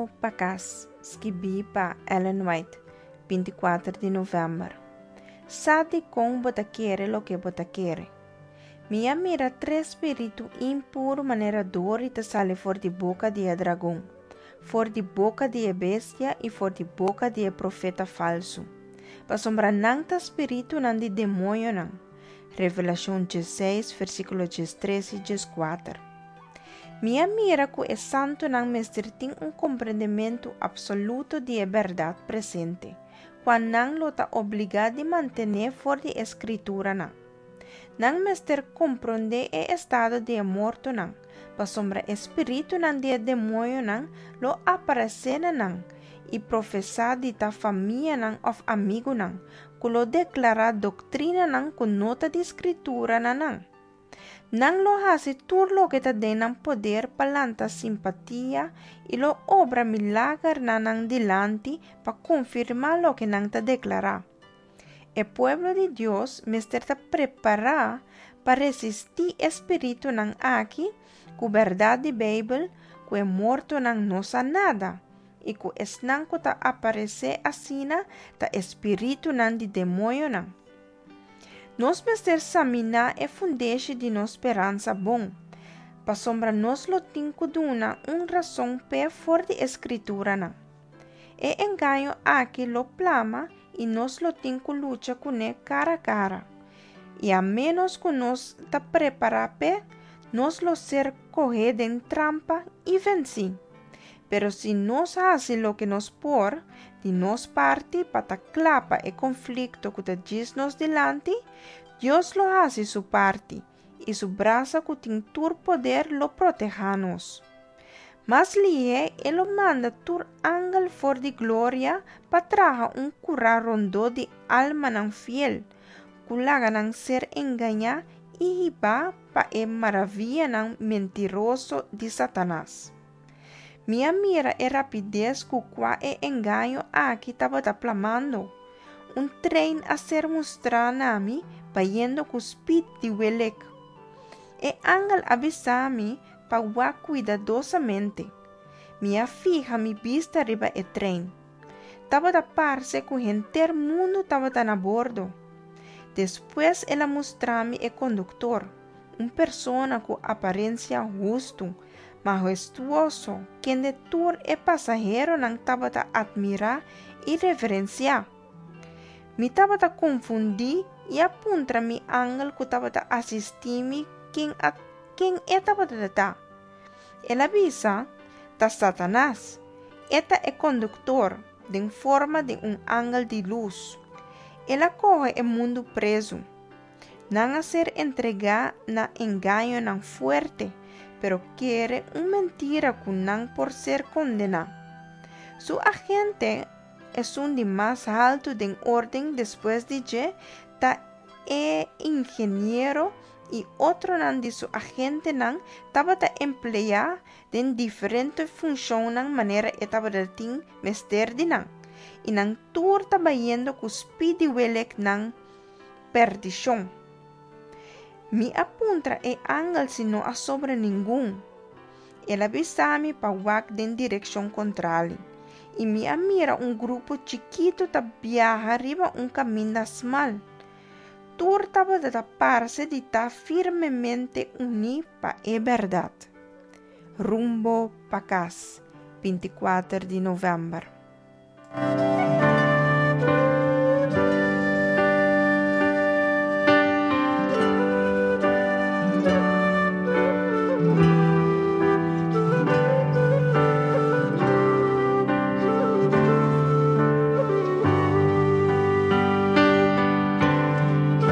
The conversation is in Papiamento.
Rumbo pa Kas, skibí pa Ellen White, 24 di novèmber. Sa dikon bo ta kere loke bo ta kere. Mi a mira tres spiritu impuru manera dori ta sali for di boka di e dragon, for di boka di e bestia i for di boka di e profeta falsu, pasobra nan ta spiritunan di demoñonan. Revelashon 16, versíkulo 13 i 14. Mi a mira ku e santunan mester tin un komprendementu apsoluto di e bèrdat presente, kua nan lo ta obligá di mantené for di e Skrituranan. Nan mester komprondé e estado di e mortonan, pasobra e spiritunan di e demoñonan lo aparesé na nan i profesá di ta famianan òf amigunan, ku lo deklará doktrinanan ku no ta di Skritura na nan. Nan lo hasi tur loke ta den nan poder pa lanta simpatia i lo obra milager na nan dilanti pa konfirmá loke nan ta deklará. E pueblo di Dios mester ta prepará pa resistí e spiritunan aki ku bèrdat di Beibel ku e mortonan no sa nada i ku esnan ku ta aparesé asina ta e spiritunan di demoñonan. Nos mester saminá e fundeshi di nos speransa bon, pasobra nos lo tin ku duna un rason p'e for di e Skrituranan. E engaño aki lo plama i nos lo tin ku lucha kuné kara kara. I a ménos ku nos ta prepará p'e, nos lo ser kohé den trampa i vensí. Pero si nos hasi loke nos por di nos parti pa ta kla pa e konflikto ku ta djis nos dilanti, Dios lo hasi su parti, i su brasa ku tin tur poder lo protehá nos. Mas lihé e lo manda tur angel for di gloria pa traha un kurá rondó di almanan fiel, ku laga nan ser engañá i hibá pa e maravianan mentiroso di Satanas. Mi a mira e rapides ku kua e engaño aki tabata plamando. Un trein a ser mustrá na mi bayendo ku spit di welek. E angel a bisa mi pa wak kuidadosamente. Mi a fiha mi bista riba e trein. Tabata parse ku henter mundu tabata na bordo. Despues el a mustra mi e konduktor, un persona ku aparensia hustu, mahestuoso, kende tur e pasaheronan tabata atmirá i reverensiá. Mi tabata konfundí i a puntra mi angel ku tabata asistí mi ken a ken e tabata ta. El a bisa, Ta Satanas. E ta e konduktor, den forma di un angel di lus. El a kohe e mundu prezu. Nan a ser entregá na engañonan fuerte, pero kere un mentira ku nan por ser kondená. Su agente, esun di mas haltu den órden despues di dje, ta e ingeniero i otronan di su agentenan tabata empleá den diferente funshonnan manera e tabata tin mester di nan, i nan tur ta bayendo ku spit di welek nan perdishon. Mi a puntra e angel si no a sobra ningun. El a bisa mi pa wak den direkshon kontrali, i mi a mira un grupo chikitu ta biaha riba un kaminda smal. Tur tabata ta parse di ta firmemente uní pa e bèrdat. Rumbo pa kas, 24 di novèmber.